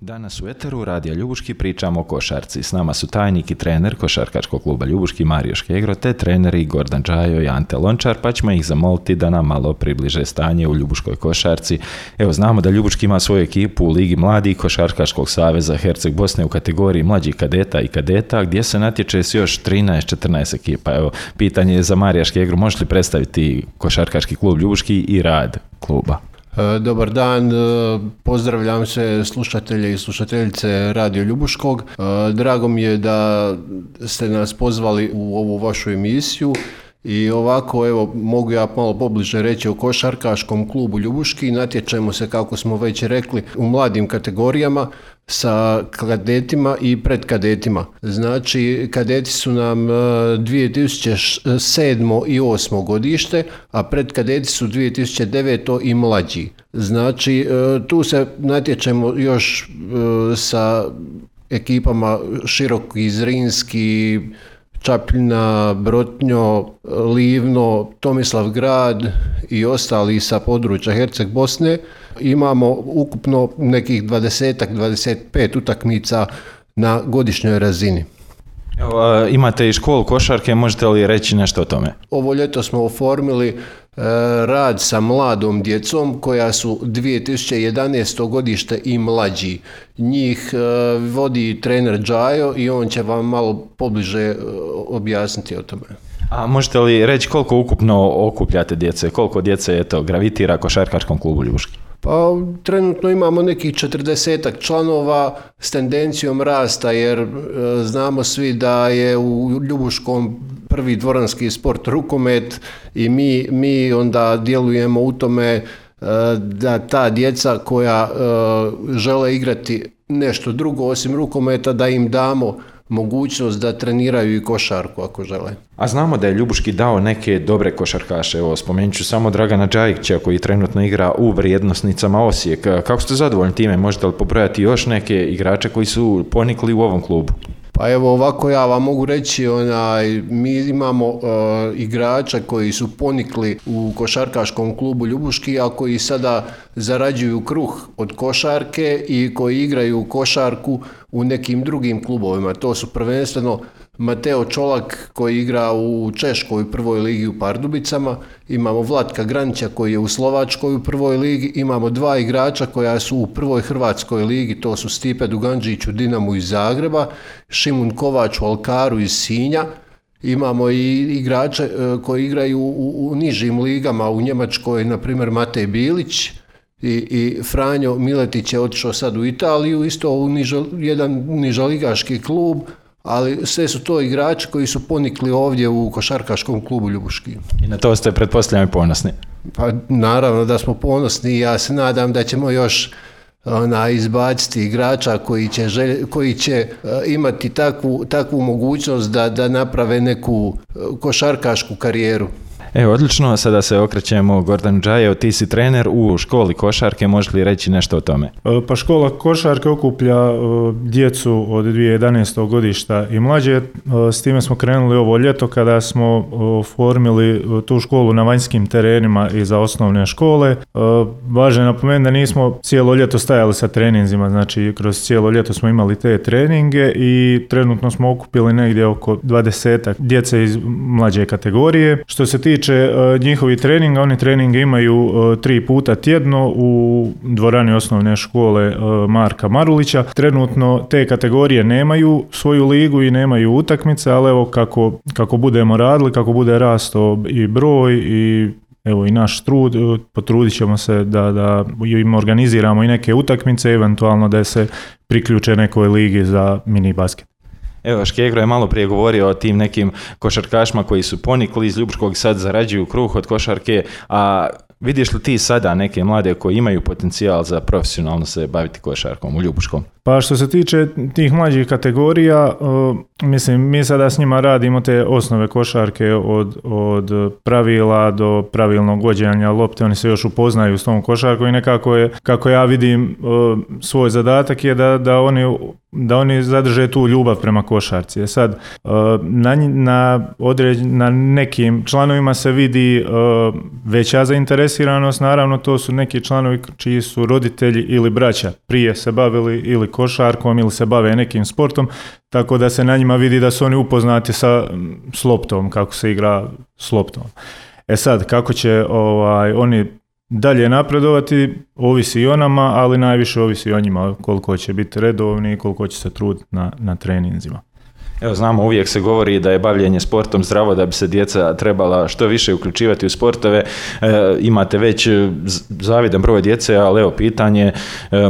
Danas u Eteru Radija Ljubuški pričamo o košarci. S nama su tajnik i trener košarkaškog kluba Ljubuški Mario Škegro te treneri Gordan Džajo i Ante Lončar, pa ćemo ih zamoliti da nam malo približe stanje u ljubuškoj košarci. Evo, znamo da Ljubuški ima svoju ekipu u Ligi mladih Košarkaškog saveza Herceg Bosne u kategoriji mlađih kadeta i kadeta, gdje se natječe s još 13-14 ekipa. Evo, pitanje je za Marija Škegru, možeš li predstaviti košarkaški klub Ljubuški i rad kluba? Dobar dan, pozdravljam sve slušatelje i slušateljice Radio Ljubuškog. Drago mi je da ste nas pozvali u ovu vašu emisiju i ovako, evo, mogu ja malo pobliže reći o košarkaškom klubu Ljubuški. Natječemo se, kako smo već rekli, u mladim kategorijama sa kadetima i predkadetima. Znači, kadeti su nam 2007. i 2008. godište, a predkadeti su 2009. i mlađi. Znači, tu se natječemo još sa ekipama Široki, Zrinski, Čapljina, Brotnjo, Livno, Tomislavgrad i ostali sa područja Herceg Bosne. Imamo ukupno nekih 20-25 utakmica na godišnjoj razini. Evo, imate i školu košarke, možete li reći nešto o tome? Ovo ljeto smo oformili rad sa mladom djecom koja su 2011. godište i mlađi. Njih vodi trener Džajo i on će vam malo pobliže objasniti o tome. A možete li reći koliko ukupno okupljate djece, koliko djece gravitira košarkaškom klubu Ljubuški? Pa trenutno imamo nekih 40 članova s tendencijom rasta, jer znamo svi da je u Ljubuškom prvi dvoranski sport rukomet i mi onda djelujemo u tome da ta djeca koja žele igrati nešto drugo osim rukometa, da im damo mogućnost da treniraju i košarku ako žele. A znamo da je Ljubuški dao neke dobre košarkaše. Evo, spomenut ću samo Dragana Đajića koji trenutno igra u Vrijednosnicama Osijek. Kako ste zadovoljni time? Možete li pobrojati još neke igrače koji su ponikli u ovom klubu? Pa evo ovako, ja vam mogu reći, mi imamo igrača koji su ponikli u košarkaškom klubu Ljubuški, a koji sada zarađuju kruh od košarke i koji igraju košarku u nekim drugim klubovima. To su prvenstveno Mateo Čolak koji igra u Češkoj prvoj ligi u Pardubicama, imamo Vlatka Granića koji je u Slovačkoj u prvoj ligi, imamo dva igrača koja su u prvoj Hrvatskoj ligi, to su Stipe Duganđić u Dinamu iz Zagreba, Šimun Kovač u Alkaru iz Sinja. Imamo i igrače koji igraju u nižim ligama u Njemačkoj, na primjer Matej Bilić, i Franjo Miletić je otišao sad u Italiju, isto u jedan nižoligaški klub, ali sve su to igrači koji su ponikli ovdje u košarkaškom klubu Ljubuški. I na to ste, pretpostavljam, ponosni? Pa naravno da smo ponosni i ja se nadam da ćemo još izbaciti igrača koji će imati takvu mogućnost da naprave neku košarkašku karijeru. Evo, odlično, sada se okrećemo Gordan Džajo, ti si trener u školi košarke, možeš li reći nešto o tome? Pa škola košarke okuplja djecu od 2011. godišta i mlađe, s time smo krenuli ovo ljeto kada smo formili tu školu na vanjskim terenima i za osnovne škole. Važno je napomenuti da nismo cijelo ljeto stajali sa treninzima, znači kroz cijelo ljeto smo imali te treninge i trenutno smo okupili negdje oko 20 djece iz mlađe kategorije. Što se tiče njihovi treninga, oni treninge imaju 3 puta tjedno u dvorani osnovne škole Marka Marulića. Trenutno te kategorije nemaju svoju ligu i nemaju utakmice, ali evo kako budemo radili, kako bude rastao i broj i evo i naš trud, potrudit ćemo se da im organiziramo i neke utakmice, eventualno da se priključe nekoj ligi za mini basket. Evo, Škegro je malo prije govorio o tim nekim košarkašima koji su ponikli iz Ljubuškog i sad zarađuju kruh od košarke, a vidiš li ti sada neke mlade koji imaju potencijal za profesionalno se baviti košarkom u Ljubuškom? Pa što se tiče tih mlađih kategorija, mislim, mi sada s njima radimo te osnove košarke od pravila do pravilnog vođenja lopte, oni se još upoznaju s tom košarkom i nekako je, kako ja vidim, svoj zadatak je da oni da oni zadrže tu ljubav prema košarci. Sad, na nekim članovima se vidi veća zainteresiranost, naravno to su neki članovi čiji su roditelji ili braća prije se bavili ili košarkom ili se bave nekim sportom, tako da se na njima vidi da su oni upoznati s loptom, kako se igra s loptom. Sad, kako će oni dalje napredovati, ovisi i o nama, ali najviše ovisi o njima, koliko će biti redovni i koliko će se truditi na treninzima. Evo, znamo, uvijek se govori da je bavljenje sportom zdravo, da bi se djeca trebala što više uključivati u sportove. Imate već zavidan broj djece, ali evo pitanje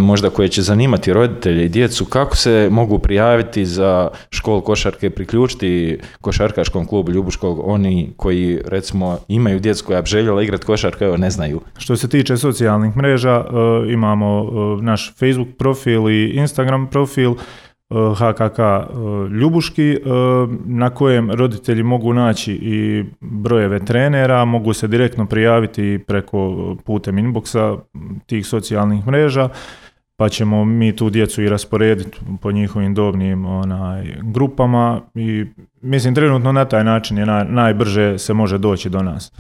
možda koje će zanimati roditelje i djecu, kako se mogu prijaviti za školu košarke, priključiti košarkaškom klubu Ljubuškog, oni koji recimo imaju djecu koja bi željela igrati košarku, evo ne znaju. Što se tiče socijalnih mreža, imamo naš Facebook profil i Instagram profil, HKK Ljubuški, na kojem roditelji mogu naći i brojeve trenera, mogu se direktno prijaviti preko putem inboxa tih socijalnih mreža, pa ćemo mi tu djecu i rasporediti po njihovim dobnim grupama i mislim trenutno na taj način je najbrže se može doći do nas.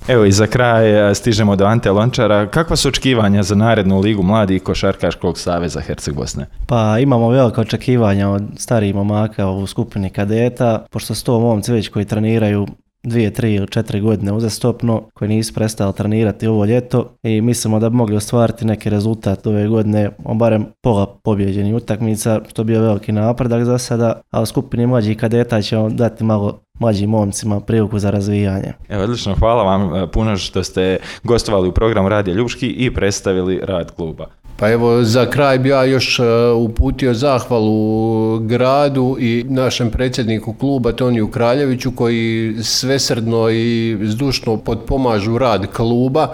Evo i za kraj stižemo do Ante Lončara. Kakva su očekivanja za narednu ligu mladih Košarkaškog saveza Herceg Bosne? Pa imamo velika očekivanja od starijih momaka u skupini kadeta, pošto su to momci već koji treniraju 2, 3 ili 4 godine uzastopno, koji nisu prestali trenirati ovo ljeto i mislimo da bi mogli ostvariti neki rezultat ove godine, barem pola pobjeđenih utakmica, što bi bio veliki napredak za sada, a u skupini mlađih kadeta ćemo dati malo mlađim momcima priliku za razvijanje. Evo, odlično, hvala vam puno što ste gostovali u programu Radija Ljubuški i predstavili rad kluba. Pa evo, za kraj bi ja još uputio zahvalu gradu i našem predsjedniku kluba Toniju Kraljeviću koji svesrdno i zdušno potpomažu rad kluba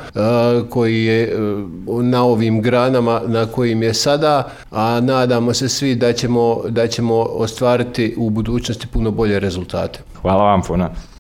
koji je na ovim granama na kojim je sada, a nadamo se svi da ćemo ostvariti u budućnosti puno bolje rezultate. Hvala vam puno.